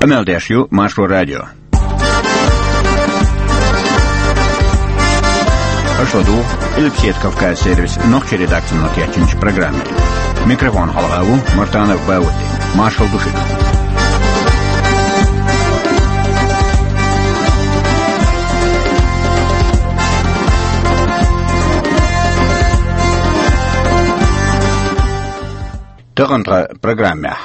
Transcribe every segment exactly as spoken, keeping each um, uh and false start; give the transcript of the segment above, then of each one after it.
Къамел деш ю Маршо радио. Аша ладугӀу Къилбаседа Кавказ сервисан нохчийн редакцино кечйинчу программе. Микрофон хьалха ву Мартанов Баудди. Маршалла ду шуьга. Тахана тхан программехь.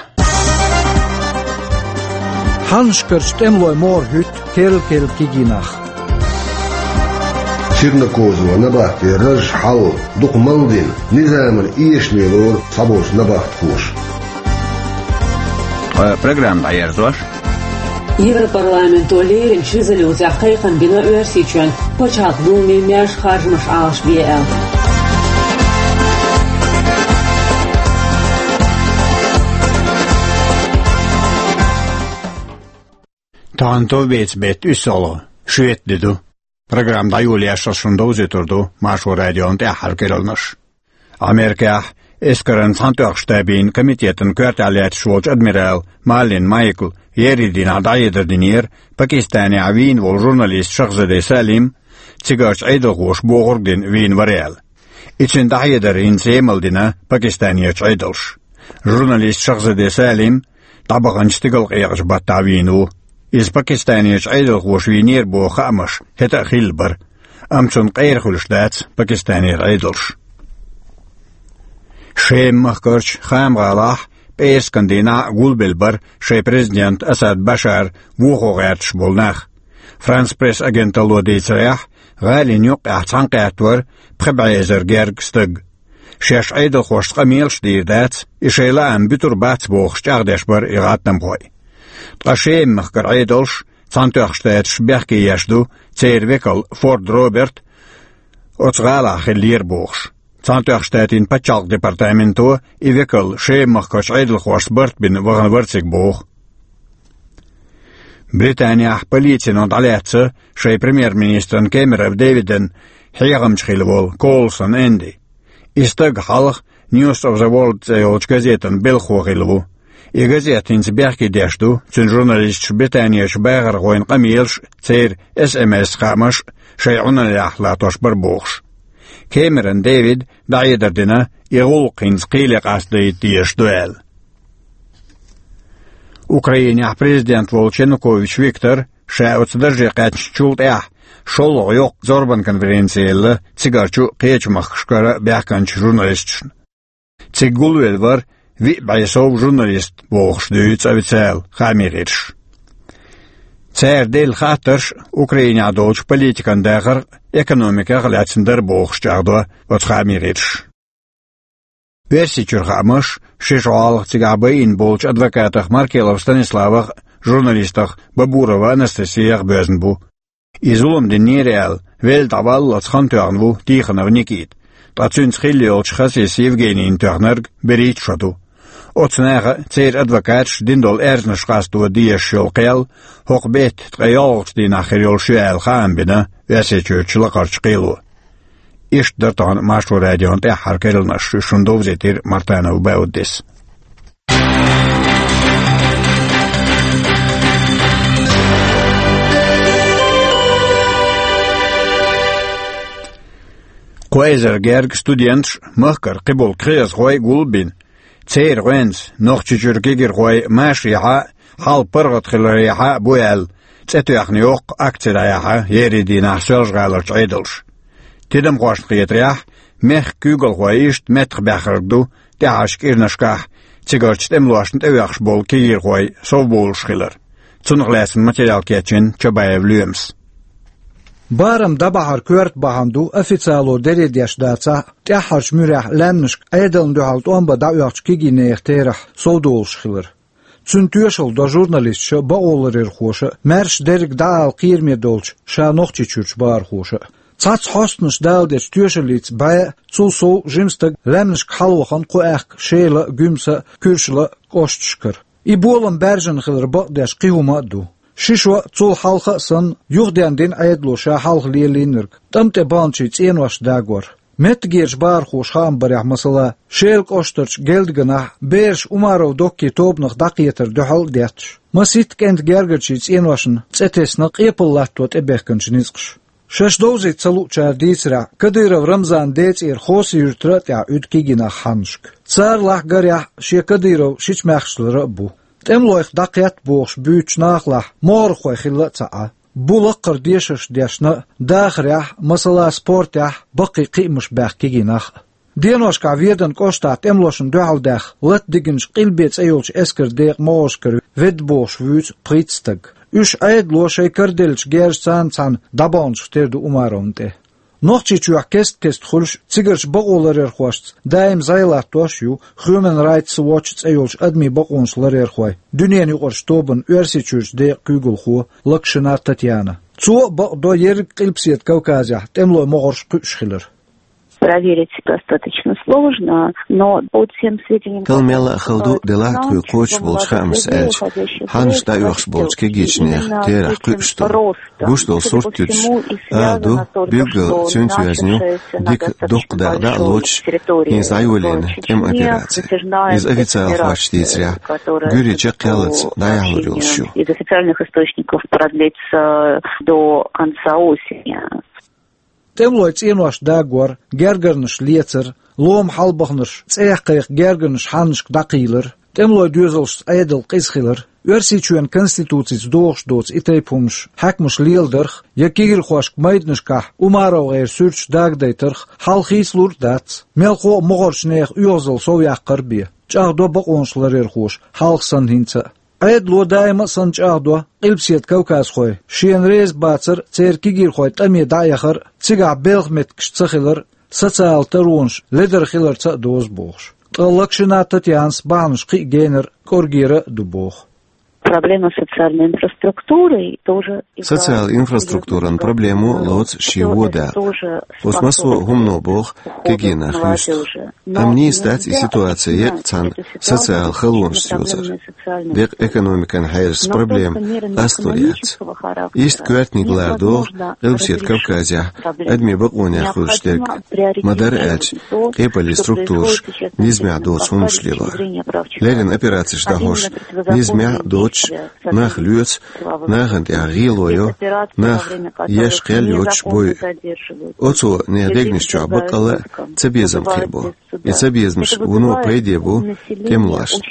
Хьаннашкарчу тӀемалойн могӀара хӀуьтту керла-керла кегий нах. Чернокозово, Набатте, Раж, Хьал дукха мал дина, низамана эшаме лору цхьаболчу набахтхоша. Ткъа программа дӀаерзош. Европарламенто леррина резолюцехь кхайкхам бина Оьрсийчоьнан Пачхьалкхан Думе маьрша харжамаш Ӏалашбе аьлла. Тахана товбеца беттан уьссалгӀа, шоьтан де ду. Программа дӀайолош шуна довзуьйтур ду Маршо радион тӀаьххьара керланаш. Америкехь эскаран Цхьаьнатоьхначу Штабийн комитетан коьртехь лаьтташ волчу адмирала Маллин Майкла еарин дийнахь дӀахьедар динера Пакистанехь вийна волу журналист Шахзаде Салим, цигарчу Ӏедалхоша бохург дина вийна вара аьлла. И цуьнан дӀахьедар хӀинца емал дина Пакистанерчу Ӏедалша. Журналист Шахзаде Салим дӀабаханчу стигалкъекъачу баттахь вийна ву. Иза Пакистанерчу Ӏедалхоша вийнера боху хаамаш хӀетахь а хилла бара, амма цунна къера хуьлуш дац Пакистанера Ӏедалш. Шема-махкарчу Хама-гӀалахь пӀераскан дийнахь а гулбелла бара шайн президент Асад Башар вохо гӀерташ болу нах. Франс-Пресс агенталло дийцарехь, гӀалин юккъехь цхьаьнакхетта вара пхи бӀе эзар герга стаг. Шаьш Ӏедалхошца къамелаш а дийр дац, и шайн лаам буьтур бац бохуш чӀагӀдеш бара и гӀаттамхой. Ткъа Шема-махкара Ӏедалш Цхьаьнатоьхначу Штаташа бехке еш ду церан векал Форд Роберт оцу гӀалахь хиллера бохуш. Цхьаьнатоьхначу Штатийн пачхьалкхан департаменто и векал Шема-махкарчу Ӏедалхошца барт бина вахана вара цига боху. Британехь полицино дӀалаьцна шайн премьер-министран Кэмерон Дэвидан хьехамча хилла волу Коулсон Энди. И стаг хьалха News of the World цӀе йолчу газетан белхахо хилла ву. И газета хӀинца бехке деш ду цуьнан журналисташа Британерчу бахархойн къамелаш а, церан эс эм эс-хаамаш а шайн Ӏуналлехь латтош бара бохуш. Кэмерон Дэвида дӀахьедар дина, и гӀуллакх хӀинца кхеле къастадайта дезаш ду аьлла. Украинехь президент волчу Янукович Виктора, ша оцу дарже кхаьчначул тӀаьхьа, шолгӀа йоккха зорбан конференци елла цигарчу а, кхечу махкашкара а баьхкинчу журналисташна. Цига гулвелла вара виъ бӀе сов журналист бохуш дуьйцу официалан хаамийн гӀирсаша. Цара делла хаттарш Украинехь долчу политикан дахарх а, экономиках а лаьцна дара бохуш чӀагӀдо оцу хаамийн гӀирсаша. Оьрсийчуьра хаамаш ши шо хьалха цигахь байина болчу адвокатах Маркелов Станиславах а, журналистах Бабурова Анастасиях а боьзна бу. И зулам динера аьлла, велла дӀаваллалц хан тоьхна ву Тихонов Никита, ткъа цуьнца хилла йолчу Хасис Евгенийна тоьхнарг берхӀитта шо ду. Оцу наха а, церан адвокаташа дина долу аьрзнаш къасто дезаш йолу кхел хӀокху беттан ткъе йолгӀачу дийнахь хир йолуш ю аьлла хаам бина Оьрсийчуьрчу лакхарчу кхело. Иштта дара тахана Маршо радион тӀаьххьара керланаш, уьш шуна довзийтира Мартанов Бауддис. Кхо эзар герга студенташ а, махкара кхиболу кхиазхой а гулбина, церан гӀоьнца Нохчийчуьра кегийрхой машарехьа а, хьал паргӀатхиларехьа а бу аьлла, цӀе тоьхна йоккха акци дӀаяьхьна еарин дийнахь Соьлжа-ГӀаларчу Ӏедалша. Тидамхошна хетарехь, мехкан куьйгалхой иштта меттахбаьхнарг ду тӀаьхьарчу кӀирнашкахь цигарчу тӀемалошна тӀеоьхуш болу кегийрхой совбовлуш хилар. Цунах лаьцна материал кечйина Чабаев Лоьмас. Барам дӀабахьар коьрта бахьана ду, официало дере деш дацахь а, тӀаьххьарчу муьрехь лаьмнашка Ӏедална дуьхьал тӀом бан дӀаоьхучу кегийнехан терахь совдолуш хилар. Цуьнан тоьшалла до журналисташа а, бакъоларъярхоша а, маьрша дерриг дӀаала кхераме долчу ша Нохчийчуьрчу бахархоша а. Цхьацца хьостанаша даладечу тоьшаллица бӀе а, цул сов жима стаг лаьмнашка хьалавахана кху аьхка Шела а, Гуьмсан а, Куьршла а кӀошташкара. И болам баьржина хилар бакъдеш кхин хӀума а ду. Ши шо а, цул хьалха а санна, юхаденна дина Ӏедало ша хьалха лелийнарг, тӀам тӀе баханчийн цӀеношна дагор. Меттигерчу бахархоша хаам барехь, масала, Шелан кӀоштарчу Гелдганахь бераш Умаров Доккин тобанах дӀакхетар дуьхьал а детташ, масийтта кӀентан гергарчийн цӀеношна цӀе тесна къепаллатто тӀебехкинчу ницкъаша. Шаьш довзийта ца луучара дийцарехь, Кадыров Рамзанан ден цӀера Хоси-Юьртара а тӀехь уьду кегий нах хьаннашка. Царалахь, гарехь, шен Кадыров шича-маьхчаллара а бу. ТӀемалойх дӀакхетта бохуш буьйцучу нахалахь могӀархой хилла а ца Ӏа. Бу лакхара дешарш дешна а, дахарехь, масала, спортехь, баккхий кхиамаш баьхна кегий нах а. Деношкахь Веданан кӀоштахь тӀемалошна дуьхьал даьхна, лата дигначу Къилбе цӀе йолчу эскаран декъан могӀаршкара ведда бохуш вуьйцу пхийтта стаг. Уьш Ӏедало шайн караделлачу герзашца цхьаьна дӀабаханчух тера ду Умаровна тӀе. Нохчийчохь кест-кеста хуьлуш, цигарчу бакъоларъярхошца даим зӀе латтош а ю Human Rights Watch цӀе йолчу адамийн бакъонаш ларъярхойн дуьненан юкъарчу тобанан Оьрсийчуьрчу декъан куьйгалхо Локшина Татьяна. Цо а бакъдо ерриг Къилбаседа Кавказехь тӀемалойн могӀарш кхуьуш хилар. Проверить достаточно сложно, но по тем сведениям, Кхин мел а хала ду, делахь а тхуьга кхочуш болчу хаамашца аьлча, хьаннаш дӀаоьхуш болчу кегийчу нехан терахь кхуьуш долу, гуш долу сурт туьтуш, ала ду, билггал цуьнца йоьзна ю дика дуккха дакъа дӀа а лоцуш, хӀинца дӀайолийна тӀеман операци. Иза официалан хьоьсташа дийцарехь, гуьйре чекхъяллалц дӀаяхьалур йолуш ю. Из официальных источников продлится до конца осени. ТӀемалойн цӀенош дагор, гергарнаш лецар, лома хьалабаханарш цӀех кхайкха гергарнаш хьаннашка дӀакхийлар, тӀемалойн доьзалшца Ӏедал къиза хилар, Оьрсийчоьнан Конституцица догӀуш доцу и тайпа хӀуманаш хьаькамаша леладарх я кегийрхошка майданашкахь УмаровгӀеран суьрташ дагадайтарх хьал хийцалур а дац, мелхо а могӀарчу нехан оьгӀазалла совъяккхар а бен, чӀагӀдо бакъонаш ларъярхоша хьалха санна хӀинца а. Ӏедало даима а санна чӀагӀдо, Къилбаседа кавказхой шена реза бацар а, церан кегийрхойн тӀаме дӀа а яхар а, цигахь белхан меттигаш ца хилар а, социалан таронаш ледара хиларца а доза бохуш. Ткъа Локшина Татьянас бахьанаш кхин а генара, кӀоргера а ду боху. Проблема с социальной инфраструктурой тоже играет Социалан инфраструктуран проблемо а лоцу шен вон дакъа. Оцу массо а хӀумано боху кегий нах юьстах. Амма нийса дац и ситуация еккъа цхьана социалан халонашца йоцург. Декъа экономикан хьерас проблема къастор яц. Иштта коьртаниг лара догӀу Къилбаседа Кавказехь адамийн бакъонех хуьлуш дерг. Ма-дарра аьлча, къепаллин структураш низамехь доцу хӀуманаш лелор. Леррина операцеш дӀахьош, низамехь а доцуш, нах лоьцу, нахана тӀехь гӀело йо, нах еш кхел йоцуш бойу. Оцо нехан дегнаш чохь баккъалла а цабезам кхебо. И цабезамаш вуно пайде бу тӀемалошна,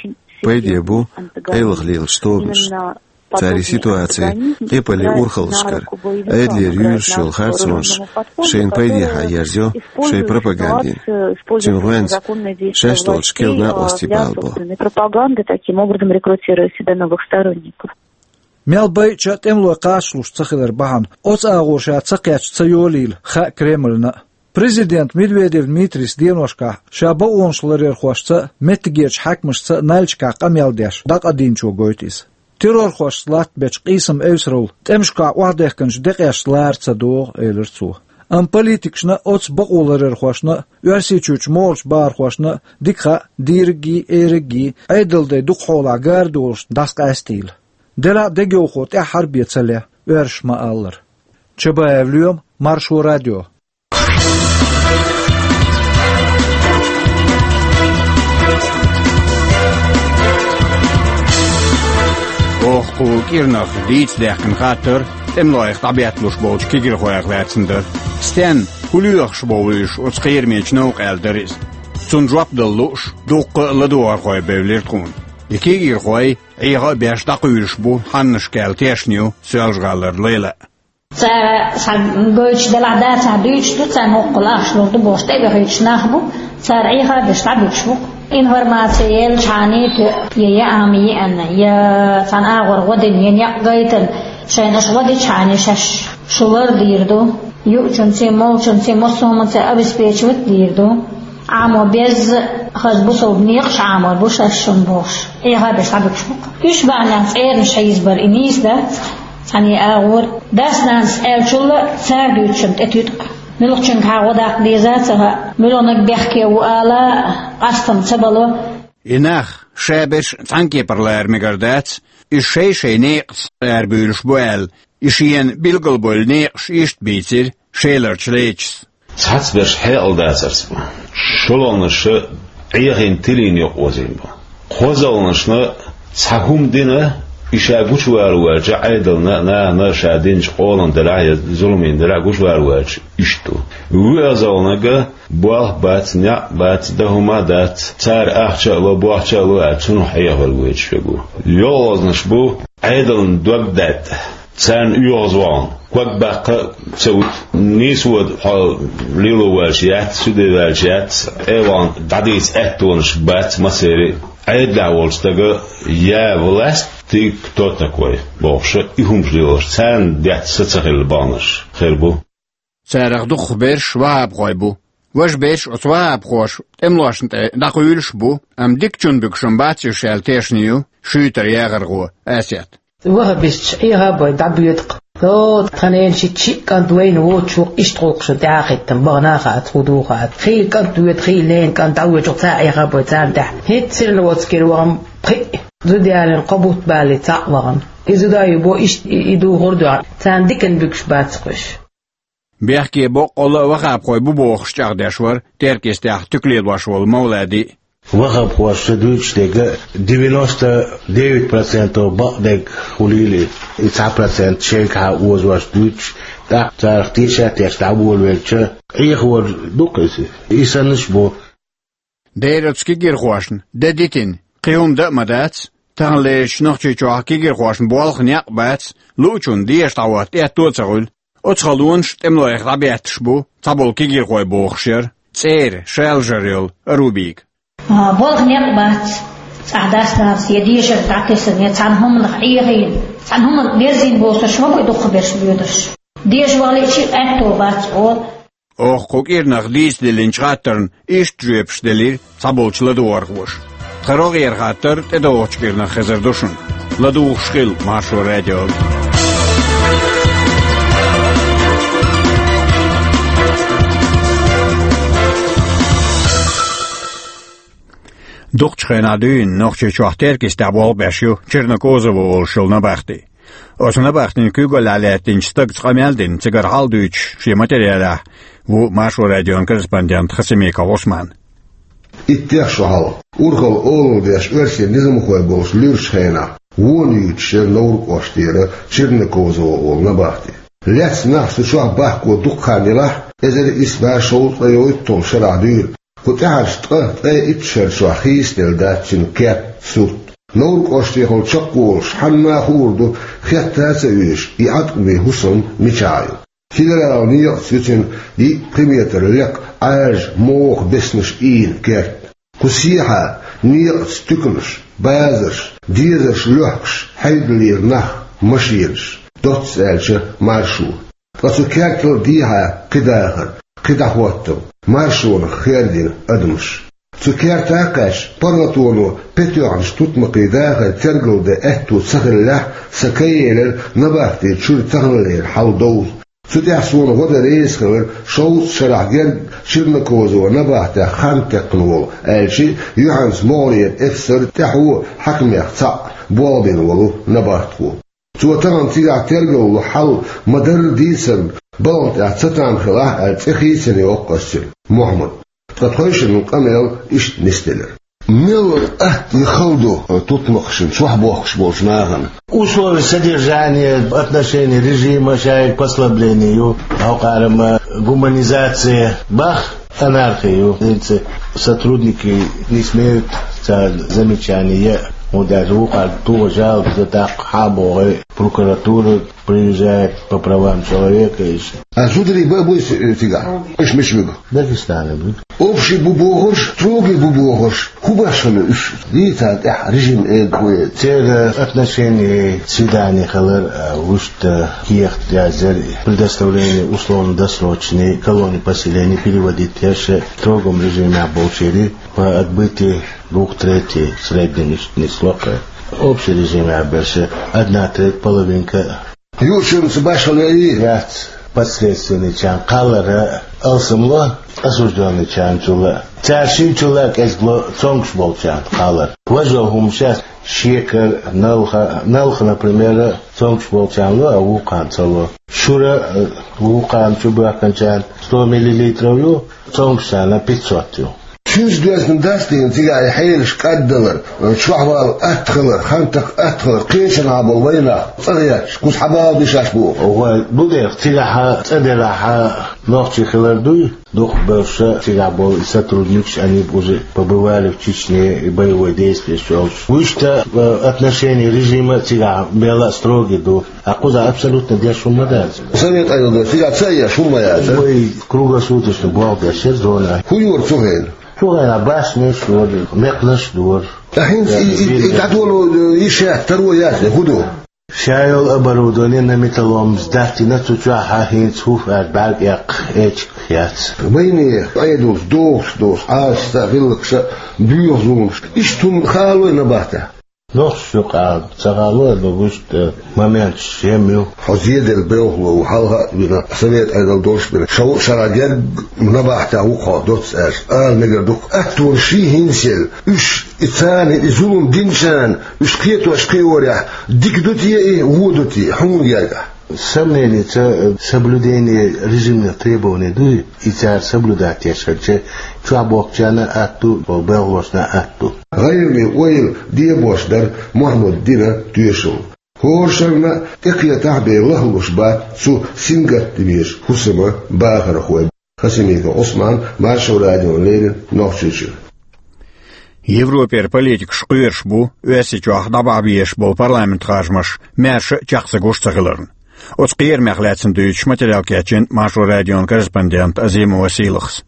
пайде бу къайлаха лелачу тобанашна. Цара и ситуаци къепаллин урхаллашкара, Ӏедалера юьйлуш йолу харцонаш шайна пайдехьа ерзайо шайн пропагандина. Цуьнан гӀоьнца шаьш долчу керла накъостий балабо. Пропаганда таким образом рекрутирует себе новых сторонников. Мел байъача а тӀемалой кхачалуш ца хилар бахьана, оцу агӀор ша ца кхетча ца йолийла хаьа Кремльна а. Президент Медведев Дмитрийс деношкахь ша бакъонаш ларъярхошца а, меттигерчу хьаькамашца а Нальчикахь къамел деш дӀакъадийначо гойту иза. Террорхошца латтабечу къийсам-эвсаралла тӀемашкахь охьадехкинчу декъешца лара ца догӀу, элира цо. Амма политикашна а, оцу бакъоларъярхошна а, Оьрсийчуьрчу могӀарчу бахархошна а дика хаьа, дийриггий, эриггий, Ӏедалдай дукха хьолахь гарадолуш дӀасакъаьстийла. Делахь а дегайовхо тӀаьххьара бен ца ле, оьрсаша ма-аллара. Чабаев Лоьма, Маршо радио. Оха кху кӀиранах дийца даьккхина хаттар тӀемалойх дӀабетталуш болчу кегийрхойх лаьцна дара. Стенна, хӀун лоьхуш бовлу уьш оцу кхерамечу новкъа аьлла дара иза. Цунна жоп дала лууш, дуккха а ладогӀархой бевлира тхуна. И кегийрхой Ӏеха а беш дӀакхуьйлуш бу хьаннашка аьлла тешна ю Соьлжа-ГӀалара Лайла. Цара цхьа гойтуш делахь а, цхьа дуьйцуш ду, царна хӀокхул ахча лур ду бохуш тӀебехуьйтуш нах бу, цара Ӏеха а беш дӀабуьгуш бу-кх. Информаци елчхьана тоьа, я яа ма-йиъанна, я цхьана агӀор гӀо дина, я некъ гайтина, шайна аша гӀо дичхьана шаьш шу лардийр ду, юучунций, молчунций, массо а хӀуманций обеспечивать дийр ду. Ӏамо безза а, хаза бусалба некъаш Ӏамор бу шаьш шуна бохуш, Ӏеха а беш дӀабуьгуш бу-кх. Уьш бахьанехь цӀеранаш хьийзабар и нийса дац, цхьана агӀор. Дас-нанас аьллачул а цара дуьйцучунна тӀетуьйту-кх. Муьлххачуьнгахьа гӀо даккха деза а ца хаьа, муьлханиг бехке ву ала а къастам ца бало. И нах ша берш цхьана кепара лара мегар дац, иза шай-шайн некъаца арабуьйлуш бу аьлла, и шена билгалбевлла некъаш иштта бийцира Шеларчу Лечас. Цхьацца берш хьекъал дацарца бу. ШолгӀанаш Ӏехийна, тилийна юкъаозийна бу. КхозлагӀнашна цхьа хӀума дина, и ша гучавалаваьлча, Ӏедална а, нахана а ша динчу къоланна делахь а, я зуламина делахь а гучавалаваьлча, иштта ду. ВоьазлагӀнарг болх бац, некъ бац, дан хӀума а дац, цара ахча а ло, бохча а ло аьлла, цунах Ӏехавар гойтуш верг ву. ЙолгӀазнаш бу Ӏедална дог даьтта, царна оьгӀазвахана, ког баккха а ца вуьту, нийсо хьо лело ваьлча яц, суьде ваьлча яц, тӀе а вахана дӀадийца аьттонаш бац массеран а. Ӏедалехь волчу стага я власть, ты кто такой бохуш, и хӀумаш лелош, царна детташ са ца хилла баханарш хир бу. Царах дукхахберш ваххабхой бу. Важа берш оцу ваххабхоша тӀемалошна тӀе дӀакхуьйлуш а бу, амма дикачунна буьгуш-м бац уьш аьлла тешна ю Шуьйтара ЯгӀархо Асет. Ваххабисташ Ӏеха а бой дӀабоьду-кх. О, тхан ненан шиъ-шиъ кӀант вайна воцуш ву-кх иштта гӀуллакхаш, тӀаьхьахӀиттина бахана а хаьттича, хӀун ду а хаьттича. Хийла кӀант воьду, хийла ненан кӀант дӀавоьду-кх цхьа а Ӏеха а бой царна тӀехь. ХӀинцца сирна оцу кира вахана пхиъ, зуда ялийна кхо бутт балий цхьаъ вахана. И зуда а ю бо, иштта и, и духур а ду, царна диканна буьгуш бац-кх уьш. Бехке боккъалла а ваххабхой бу бохуш чӀагӀдеш вара Теркйистехь туька лелош волу Мовлади. Ваххабхоша дуьйцуш дерг девяносто девять процентов бакъдерг хуьлийла, и цхьа процент шайгахьа озош дуьйцуш, тӀаккха царах теша а тешна дӀаволавелча, Ӏехавар ду-кх иза. И саннаш а бу. Дера оцу кегийрхошна де дитина, кхин хӀума дан а ма дац, таханлерчу Нохчийчохь кегийрхошна болх а, некъ а бац, луучунна деша дӀахӀотта аьтто а ца хуьлу. Оцу халонаш тӀемалойх дӀабетташ бу цхьаболу кегийрхой бохуш яра цӀера шалажар йолу Арубийга. А, болх, некъ бац, цӀахь дас-нанас я дешарг дӀатесна, я цхьана хӀуманах Ӏехийна, цхьана хӀуманна берзийна бохурш ма бу и дукхахберш боьдурш. Деша валийча а аьтто бац, олу. Оха кху кӀиранах дийца диллинчу хаттарна иштта жоьпаш делира цхьаболчу ладугӀархоша. Тхан рогӀера хаттар тӀедогӀучу кӀиранах хезар ду шуна. ЛадугӀуш хила Маршо радиога. Дукхачу хенахь дуьйна Нохчийчохь Теркйистехь болх беш ю Чернокозово олуш йолу набахти. Оцу набахтина куьйгаллехь лаьттинчу стагца къамел а дина, цигара хьал а дуьйцуш шен материалехь ву Маршо радион корреспондент Хасимиков Ӏусман. Иттех шо хьалха, урхалла олалла деш оьрсийн низамхой болуш луьрачу хенахь, вон юьйцуш яра Невран кӀоштера Чернокозово олу набахти. Лаьцна нах цу чохь бахко дукха хан елахь а, эзар исс бӀе шовзткъе йойталгӀа шарахь дуьйра. Кху тӀаьхьарчу ткъа, ткъе итт шар чохь хийцаделла дац цуьнан керт, сурт. Невран кӀоштехула чекхволуш хьанна а хуур ду, хетта а ца оьшу, и Ӏаткъаме хӀусам мичахь ю. Федералан некъаца ю цуьнан йиъ, пхи метр лекха, Ӏаьржа, моху беснаш ийна керт. Кху сехьа некъаца туьканаш, базарш, дезарш лохкуш хьайдаллера нах, машенаш, доцца аьлча, маршо. Ткъа цу кертал а дехьа кхидӀа а хӀара, кхидӀа хӀоттам, маршонах хердина адамаш. Цу керта а кхаьчча, паргӀатоно петоьхначу тутмакхийн дахар тергалдан аьтто ца хиллехь, сан ка елира набахтин чуьра таханлера хьал довза. Цу тӀехь суна гӀо дан реза хилира шовзткъа шарахь герга Чернокозово набахтех хан текхна волу, аьлча, юьхьанца могӀарера эфсар, тӀаьхьо хьаькамех цхьаъ болх бина волу набахтхо. Цо тахана цигахь тергалло хьал ма-дарра дийцарна, балха тӀехь цатам хилахь аьлла, цӀе хийцина йоккху ас цуьнан, Мухьаммад. Ткъа тхойшиннан къамел иштта нисделира. Мел атта и хала ду тутмакхашна чохь бохкуш болчу нахана? Условия содержания, отношений режима шайга послабление ю, хьокъарма гуманизация бах, анархия ю. ХӀинца сотрудники не смеют цара замечание ян, хӀунда аьлча вукхара тугӀа жалоба дан даккха хьан боху, прокуратура приезжает по правам человека, и всё. А зударий бан буй цигахь? Уьш мича буьгу? Дагестане буьгу. Общий бу бохурш, строгий бу бохурш, хӀун башхана уьш? Дийцарна тӀехь режим эр ду вай. Церан отношение, свидание хилар, а, вуьшта кехат яздера, предоставление условно-досрочной колонии поселения переводить еш, строгом режимехь болчерий по отбытии двух третей в среднем иштта нисло-кх. Общий режимехь берш одна треть, половинка. Юучунца башхалла яй? Яц. Подследственныйчарна кхаллар алсамло, осуждённыйчарна чул а. Цара шинчул а кӀезигло цомгуш болчарна кхаллар. Важа хӀума шаьш Шекар, налха, налха, например, цомгаш болчарна лу, а вукхарна ца лу. Шура, э, вукхарна чу бахканчарна сто миллилитров ю, цомгашчарна пятьсот ю. Цуьнца доьзна дац дийна цигахь и хьелаш кӀаддалар, чохь вала атта хилар, хантах атта хилар, кхечанхьа болу вайнах цӀа гӀетташ, кхуза хьабала дишаш бу. Вай, бу дера, цигахьа цӀа делахьа нохчий хилар дуй? Дукха бевлла цигахь болу и сотрудникаш, они уже побывали в Чечне, и боевой действия йолуш. Вуьшта, э, отношение режима цигахь мелла а строгий ду. А кхузахь абсолютно деш хӀума ма дац. Совет Ӏедал цигахь ца еш хӀума ма яц, а? Вай круглосуточно болх беш яра зона. ХӀун йора цу хенахь? Цу хенахь башнеш йора, мекхнаш дора. Ткъа хӀинца и, и, и дӀадоло, э, йиш яц, таро яц, хӀун ду? Ша йолу оборудование на металлолом сдать йина, цу чохь хӀинца хӀуф аьлла бӀаьрг эккха эчиг яц. Вайнехан Ӏедалш дохуш долуш, Ӏалашца гӀиллакхаш а, боьха зуламаш. Иштта хӀума хало набахтехь? Нохчашна юкъахь ца хало, но вуьшта моменташ жимма ю. Хьо зеделла белхало ву, хьалха а вина, совет Ӏедал долуш бина. Шовзткъа шарахь герга набахтехь ву-кх хьо доцца аьлча, ала мегар ду-кх, аттонаш ший хӀинца елла. Уьш и царна и зулам динчарна, уьш кхетош кхиорехь, дика ду те и, вон ду те, хьуна гергахь? Сомненица, э, соблюдение режимных требований дуй, и цара соблюдать еш хилча, чохь бохкучарна а атта ду, белхалошна а атта ду. ГӀайгӀане ойла дебош дара Мухьаммад дина тоьшалла. ХӀора шарна тӀекхетахь бен лахлуш бац цу сингаттамечу хӀусама бахархой. Хасимиков Ӏусман, Маршо радиона леррина, Нохчийчуьра. Европера политикаш кхоьруш бу Оьрсийчохь дӀабахьа безаш болу парламентан харжамаш маьрша а чекх ца гуш ца хиларна. Оцу кхерамех лаьцна дуьйцуш материал кечйина Маршо радион корреспондента Азимова Сийлахьас.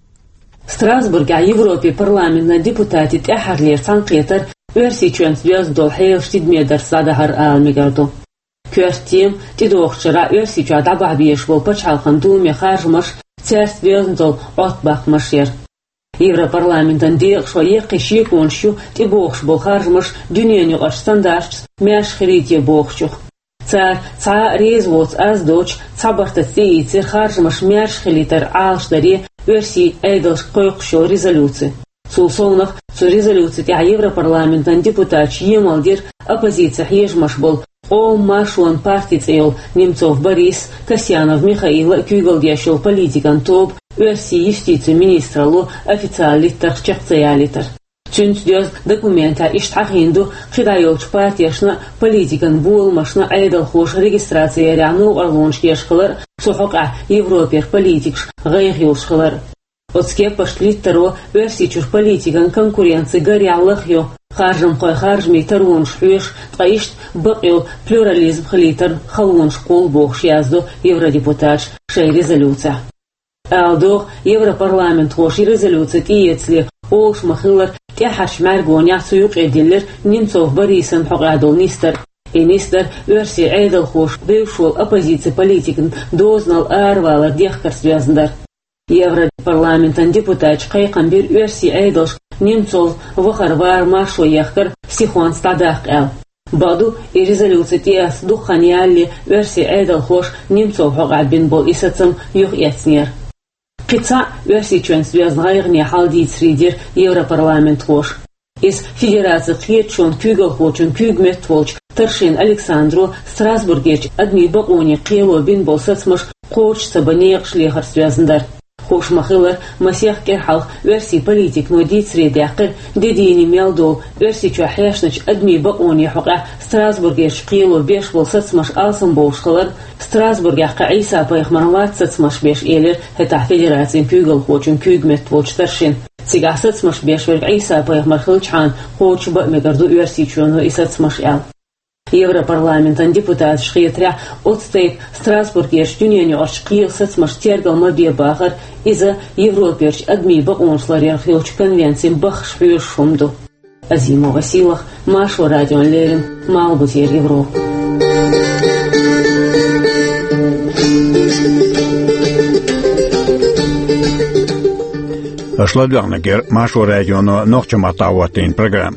Страсбургехь Европин парламентан депутатийн тӀаьххьарлера цхьаьнакхетар Оьрсийчоьнца доьзна долу хьелаш тидаме дарца дӀадахьара ала мегар ду. Коьрта тема, тӀедогӀучу шарахь Оьрсийчохь дӀабахьа безаш болу пачхьалкхан думе харжамаш, цаьрца доьзна долу Ӏоттабаккхамаш яра. Европарламентан декъашхой яккхий шеконаш ю тӀебогӀуш болу харжамаш дуьненаюкъарчу стандарташца маьрша хилийта бохучух. Цара цхьа а реза воцу аз доцуш, цхьа бартаца тӀеийцира харжамаш маьрша хилийтар Ӏалашдаре Оьрсийн Ӏедалшка кхойкхуш йолу резолюци. Цул совнаха, цу резолюци тӀехь Европарламентан депутаташа емал дира оппозицин хьежамаш болу Къоман маршонан парти цӀе йолу Немцов Борис, Касьянов Михаила а куьйгалла деш йолу политикан тоба Оьрсийн юстицин министралло официалан литтарх чекх ца ялийтар. Цуьнца доьзна документехь иштта хьахийна ду кхидӀа йолчу партешна а, политикан боламашна а Ӏедалхоша регистраци ярехь новкъарлонаш еш хилар а, цу хьокъехь Европера политикаш гӀайгӀа йолуш хилар а. Оцу кеппарчу литтаро Оьрсийчуьра политикан конкуренци гарехь лахйо, харжамхойн харжамийн таронаш хьоьшуш, ткъа иштта бакъйолу плюрализм хилийтарна халонаш кхолла бохуш яздо евродепутаташа шайн резолюцехь. Ала догӀу, европарламентхоша и резолюци тӀеэцале олуш ма-хиллара, тӀаьххьарчу мӀаьргонехь цу юкъе диллира Немцов Борисан хьокъехь долу нисдар. И нисдар Оьрсийн Ӏедалхоша бевзаш волу оппозицин политикан дозанал аравалар дехкарца доьзна дара. Европарламентан депутаташа кхайкхам бира оьрсийн Ӏедалшка Немцов вахар-вар маршо ехкар сихонца дӀадаккха аьлла. Бакъду, и резолюци тӀеэцна дукха хан ялале оьрсийн Ӏедалхоша Немцов хьокъехь бина болу и сацам юхаэцнера. Кхин цхьаъ Оьрсийчоьнца доьзна гӀайгӀане хьал дийцаре дира европарламентхоша. Иза Федерацин кхеташонан куьйгалхочун куьйга метта волчу Таршин Александро Страсбургерчу адамийн бакъонийн кхело бина болу сацамаш кхочуш ца бан некъаш лехарца доьзна дара. Хууш ма-хиллара, масех кӀира хьалха оьрсийн политикано дийцаре даьккхира де дийне мел долу Оьрсийчохь хьаьшначу адамийн бакъонийн хьокъехь Страсбургерчу кхело беш болу сацамаш алсамбовлуш хилар, Страсбургехь кхин Ӏийса-пайхамарна лаьцна сацамаш беш, элира хӀетахь Федерацин куьйгалхочун куьйга метта волчу Таршина. Цигахь сацамаш беш верг Ӏийса-пайхамар хилчхьана кхочуш бан а мегар ду Оьрсийчоьно и сацамаш аьлла. Европарламентан депутаташа хетарехь, оцу тайпа Страсбургерчу дуьненаюкъарчу кхелан сацамашна тергал ма бе бахар, иза Европерчу адамийн бакъонаш ларъярх йолчу конвенцин баххаш хьоьшуш хӀума ду. Азимова Сийлахь, Маршо радиона леррина, Малхбузера Европа. Аша ладоьгӀнарг яра Маршо радионо нохчийн маттахь хӀоттийна программа.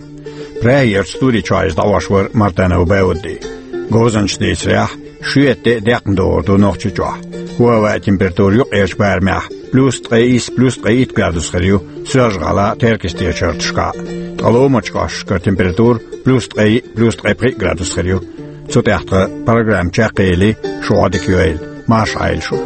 Прагерчу студи чохь иза дӀахьош вара Мартанов Баудди. Говзанчаша дийцарехь, шоьтан де а декхна догӀур ду Нохчийчохь. ХӀаваан температура юккъерчу барамехь плюс ткъе исс, плюс ткъе итт градус хир ю Соьлжа-ГӀалахь, Теркйистечу хӀорташкахь. ТӀалу мачкъаш кар температура плюс ткъе, плюс ткъе пхи градус хир ю. Цу тӀехь тхан программа чекхъели, шу гӀодик йойла. Марша Ӏайла шу.